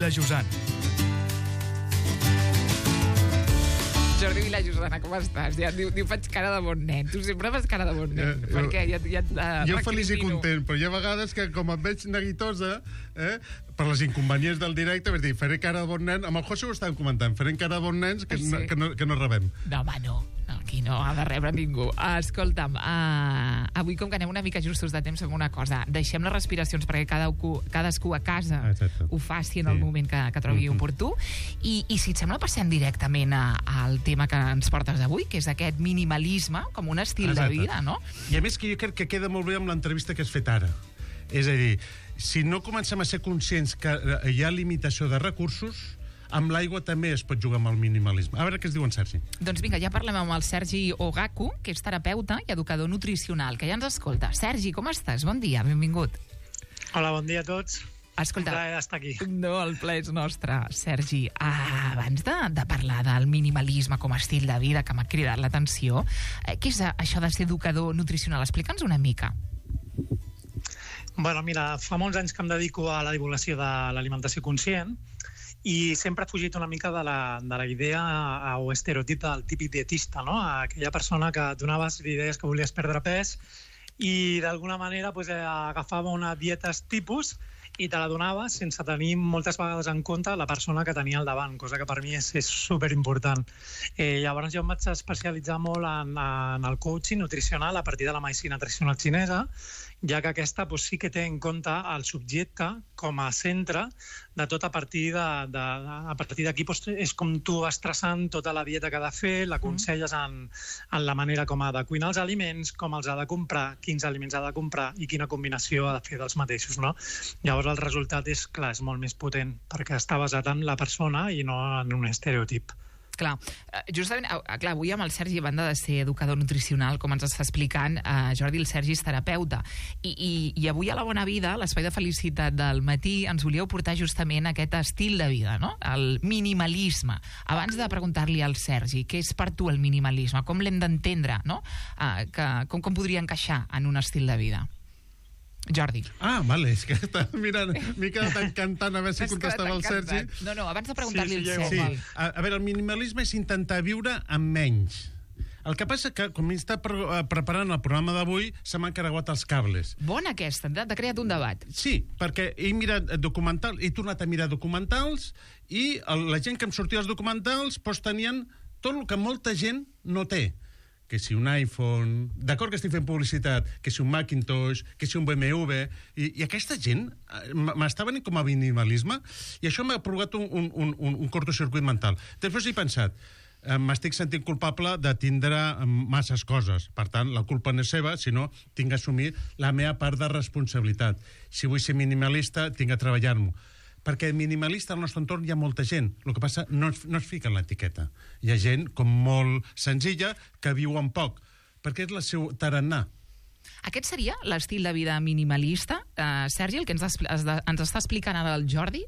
La Josana. Jordi Vila Josana, com estàs? Ja diu faig cara de bon nen. Tu sempre fas cara de bon nen. Per què? Jo feliç i content, però hi ha vegades que com em veig neguitosa, per les inconvenients del directe, vas dir, faré cara de bon nen. Amb el José ho estàvem comentant, farem cara de bon nens que no rebem. No, home, no. Aquí no ha de rebre ningú. Escolta'm, avui com que anem una mica justos de temps, fem una cosa. Deixem les respiracions perquè cadascú a casa ho faci en el moment que trobi oportú. I si et sembla, passem directament al tema que ens portes avui, que és aquest minimalisme com un estil de vida, no? I a més que jo crec que queda molt bé amb l'entrevista que has fet ara. És a dir, si no comencem a ser conscients que hi ha limitació de recursos, amb l'aigua també es pot jugar amb el minimalisme. A veure què es diu en Sergi. Doncs vinga, ja parlem amb el Sergi Ogaku, que és terapeuta i educador nutricional, que ja ens escolta. Sergi, com estàs? Bon dia, benvingut. Hola, bon dia a tots. Escolta, un plaer estar aquí. No, el plaer és nostre, Sergi. Abans de parlar del minimalisme com a estil de vida, que m'ha cridat l'atenció, què és això de ser educador nutricional? Explica'ns una mica. Bueno, mira, fa molts anys que em dedico a la divulgació de l'alimentació conscient i sempre he fugit una mica de la idea o estereotip del típic dietista, no? Aquella persona que et donaves idees que volies perdre pes i d'alguna manera agafava una dieta tipus i te la donava sense tenir moltes vegades en compte la persona que tenia al davant, cosa que per mi és superimportant. Llavors jo em vaig especialitzar molt en el coaching nutricional a partir de la medicina tradicional xinesa, ja que aquesta sí que té en compte el subjecte com a centre de tot. A partir d'aquí és com tu vas traçant tota la dieta que ha de fer, l'aconselles en la manera com ha de cuinar els aliments, com els ha de comprar, quins aliments ha de comprar i quina combinació ha de fer dels mateixos, no? Llavors el resultat és, clar, és molt més potent perquè està basat en la persona i no en un estereotip. Clar, justament, avui amb el Sergi, a banda de ser educador nutricional, com ens està explicant, Jordi, el Sergi és terapeuta. I avui a La Bona Vida, l'Espai de Felicitat del matí, ens volíeu portar justament aquest estil de vida, no? El minimalisme. Abans de preguntar-li al Sergi què és per tu el minimalisme, com l'hem d'entendre, no? Com podria encaixar en un estil de vida? Jordi. Vale, és que m'he quedat encantant a veure si contestava el Sergi. No, abans de preguntar-li al Sergi. Sí. A veure, el minimalisme és intentar viure amb menys. El que passa que, com m'està preparant el programa d'avui, se m'han carregat els cables. Bona aquesta, t'ha creat un debat. Sí, perquè he mirat documentals, he tornat a mirar documentals i la gent que em sortia els documentals tenien tot el que molta gent no té. Que si un iPhone, d'acord que estic fent publicitat, que si un Macintosh, que si un BMW, i aquesta gent m'està venint com a minimalisme, i això m'ha provocat un cortocircuit mental. Després he pensat, m'estic sentint culpable de tindre masses coses, per tant, la culpa no és seva, sinó tinc que assumir la meva part de responsabilitat. Si vull ser minimalista, tinc que treballar-m'ho. Perquè minimalista al nostre entorn hi ha molta gent. El que passa no es fica en l'etiqueta. Hi ha gent com molt senzilla que viu amb poc, perquè és el seu tarannà. Aquest seria l'estil de vida minimalista, Sergi, el que ens està explicant ara el Jordi?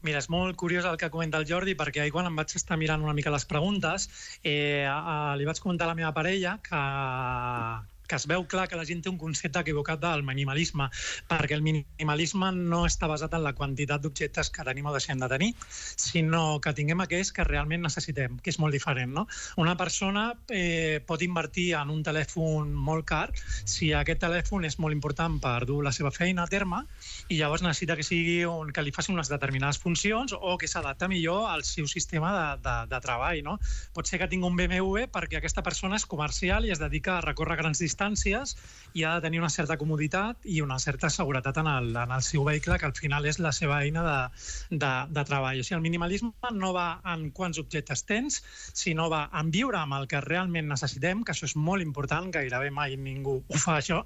Mira, és molt curiós el que comenta el Jordi, perquè ahir quan em vaig estar mirant una mica les preguntes, li vaig comentar a la meva parella que es veu clar que la gent té un concepte equivocat del minimalisme, perquè el minimalisme no està basat en la quantitat d'objectes que tenim o deixem de tenir, sinó que tinguem aquells que realment necessitem, que és molt diferent, no? Una persona pot invertir en un telèfon molt car si aquest telèfon és molt important per dur la seva feina a terme i llavors necessita que sigui que li faci unes determinades funcions o que s'adapta millor al seu sistema de treball, no? Pot ser que tingui un BMW perquè aquesta persona és comercial i es dedica a recórrer grans distàncies i ha de tenir una certa comoditat i una certa seguretat en el seu vehicle, que al final és la seva eina de treball. O sigui, el minimalisme no va en quants objectes tens, sinó va en viure amb el que realment necessitem, que això és molt important, gairebé mai ningú ho fa això,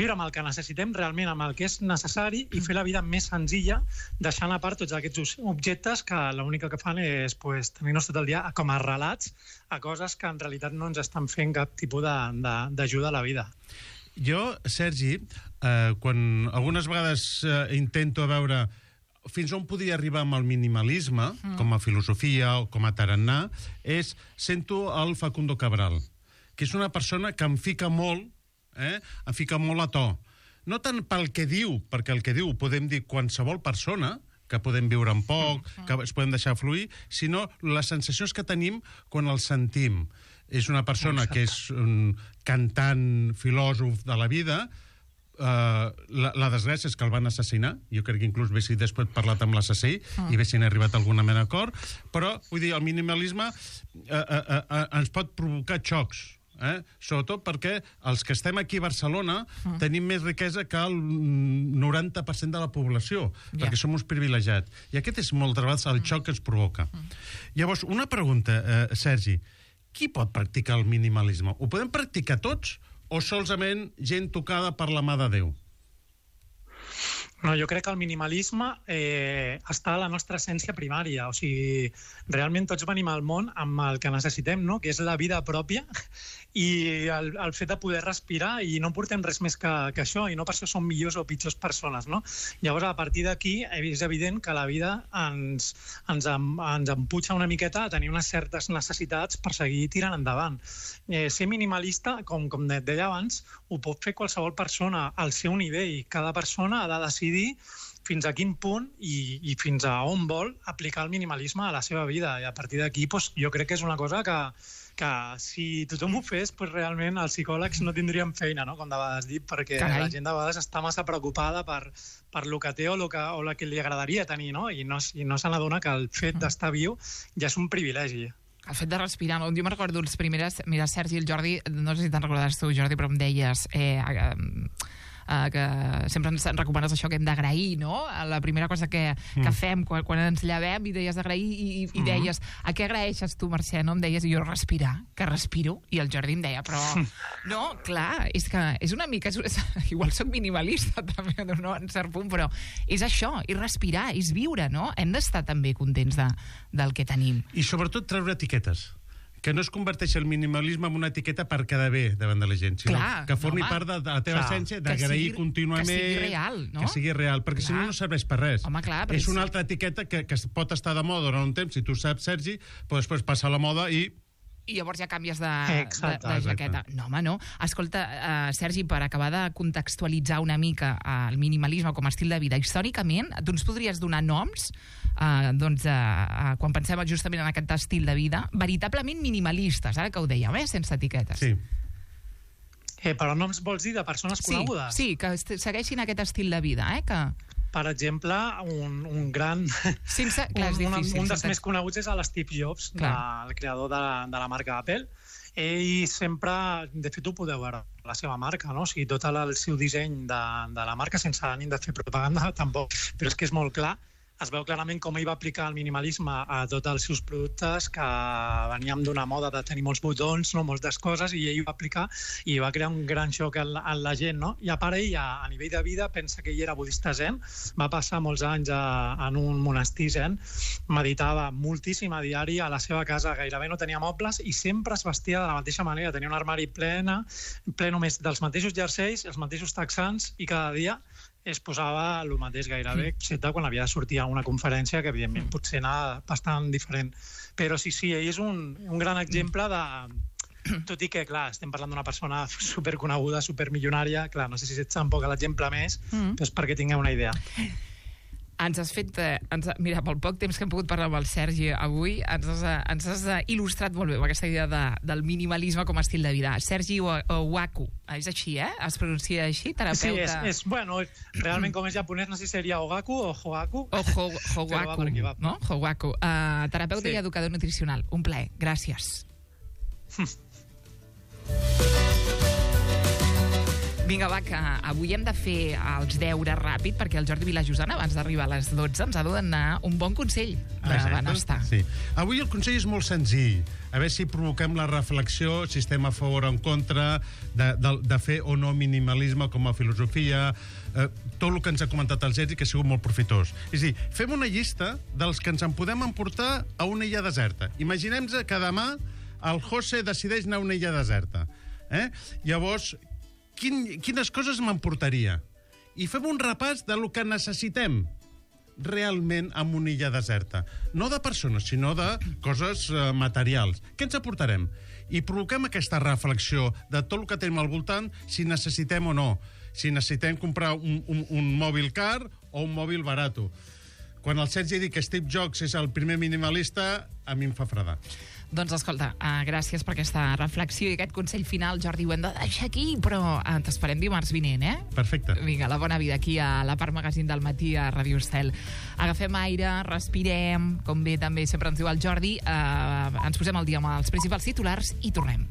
viure amb el que necessitem realment, amb el que és necessari i fer la vida més senzilla, deixant a part tots aquests objectes que l'única que fan és tenir-nos tot el dia com a relats a coses que en realitat no ens estan fent cap tipus d'ajuda a la vida. Jo, Sergi, quan algunes vegades intento veure fins on podria arribar amb el minimalisme, com a filosofia o com a tarannà, sento el Facundo Cabral, que és una persona que em fica molt a to. No tant pel que diu, perquè el que diu podem dir qualsevol persona, que podem viure amb poc, que es podem deixar fluir, sinó les sensacions que tenim quan els sentim. És una persona que és un cantant, filòsof de la vida. La desgràcia és que el van assassinar. Jo crec que inclús haguessin després parlat amb l'assassí i haguessin arribat a alguna mena d'acord. Però, vull dir, el minimalisme ens pot provocar xocs. Sobretot perquè els que estem aquí a Barcelona tenim més riquesa que el 90% de la població, perquè som uns privilegiats. I aquest és moltes vegades el xoc que ens provoca. Llavors, una pregunta, Sergi. Qui pot practicar el minimalisme? Ho podem practicar tots o solament gent tocada per la mà de Déu? No, jo crec que el minimalisme està a la nostra essència primària. O sigui, realment tots venim al món amb el que necessitem, no? Que és la vida pròpia i el fet de poder respirar, i no portem res més que això, i no per això som millors o pitjors persones, no? Llavors, a partir d'aquí, és evident que la vida ens empuja una miqueta a tenir unes certes necessitats per seguir tirant endavant. Ser minimalista, com deia abans, ho pot fer qualsevol persona al seu nivell. Cada persona ha de decidir fins a quin punt i fins a on vol aplicar el minimalisme a la seva vida. I a partir d'aquí, jo crec que és una cosa que si tothom ho fes, realment els psicòlegs no tindríem feina, no? Com de vegades dic, perquè la gent de vegades està massa preocupada per el que té o el que li agradaria tenir, no? I no se n'adona que el fet d'estar viu ja és un privilegi. El fet de respirar. Jo me'n recordo les primeres... Mira, Sergi i el Jordi, no sé si te'n recordaràs tu, Jordi, però em deies que sempre ens recomanes això que hem d'agrair, no? La primera cosa que fem quan ens llevem, i deies d'agrair, i deies, a què agraeixes tu, Mercè? No? Em deies, jo respirar, que respiro, i el Jordi em deia, però no, clar, és que és una mica, igual soc minimalista també, no, en cert punt, però és això, és respirar, és viure, no? Hem d'estar també contents del que tenim. I sobretot treure etiquetes. Que no es converteix el minimalisme en una etiqueta per quedar bé davant de la gent, sinó que formi part de la teva essència, d'agrair contínuament... Que sigui real, no? Que sigui real, perquè si no, no serveix per res. Home, clar, és una altra etiqueta que pot estar de moda durant un temps, si tu saps, Sergi, però després passa a la moda i llavors ja canvies de jaqueta. No, home, no. Escolta, Sergi, per acabar de contextualitzar una mica el minimalisme com a estil de vida, històricament, tu ens podries donar noms, quan pensem justament en aquest estil de vida, veritablement minimalistes, ara que ho dèiem, sense etiquetes. Sí. Però noms vols dir de persones conegudes? Sí, que segueixin aquest estil de vida, que... Per exemple, un gran... un dels més coneguts és l'Steve Jobs, el creador de la marca Apple. Ell sempre, de fet ho podeu veure, la seva marca, no? O sigui, tot el seu disseny de la marca, sense ànim de fer propaganda tampoc, però és que és molt clar. Es veu clarament com ell va aplicar el minimalisme a tots els seus productes, que veníem d'una moda de tenir molts botons, no, moltes coses, i ell va aplicar i va crear un gran xoc en la gent, no? I a part ell, a nivell de vida, pensa que ell era budista zen, va passar molts anys en un monestir zen, meditava moltíssim a diari, a la seva casa gairebé no tenia mobles i sempre es vestia de la mateixa manera, tenia un armari ple només dels mateixos jerseis, els mateixos texans, i cada dia es posava el mateix gairebé, excepte quan havia de sortir a una conferència, que evidentment potser anava bastant diferent. Però sí, ell és un gran exemple de... Tot i que, clar, estem parlant d'una persona superconeguda, supermilionària, clar, no sé si ets tampoc l'exemple més, però és perquè tingueu una idea. Ens has fet... mira, pel poc temps que hem pogut parlar amb el Sergi avui, ens has il·lustrat molt bé aquesta idea del minimalisme com a estil de vida. Sergi Owaku, és així, es pronuncia així? Terapeuta... Sí, bueno, realment com és japonès, no sé si seria Ogaku o Hogaku. O Hogaku, no? Hogaku. Terapeuta i educador nutricional. Un plaer. Gràcies. Vinga, va, que avui hem de fer els deures ràpid, perquè el Jordi Vilajosana, abans d'arribar a les 12, ens ha de donar un bon consell de benestar. Sí. Avui el consell és molt senzill. A veure si provoquem la reflexió, si estem a favor o en contra de fer o no minimalisme com a filosofia, tot el que ens ha comentat el Sergi, que ha sigut molt profitós. És a dir, fem una llista dels que ens en podem emportar a una illa deserta. Imaginem-nos que demà el José decideix anar a una illa deserta. Llavors, quines coses m'emportaria? I fem un repàs de lo que necessitem realment en una illa deserta. No de persones, sinó de coses materials. Què ens aportarem? I provoquem aquesta reflexió de tot el que tenim al voltant, si necessitem o no. Si necessitem comprar un mòbil car o un mòbil barato. quan el Sergi ha dit que Steve Jobs és el primer minimalista, a mi em fa fredar. Doncs escolta, gràcies per aquesta reflexió i aquest consell final, Jordi, ho hem de deixar aquí, però t'esperem dimarts vinent, eh? Perfecte. Vinga, la bona vida aquí a la part magazín del matí a Ràdio Estel. Agafem aire, respirem, com bé també sempre ens diu el Jordi, ens posem al dia amb els principals titulars i tornem.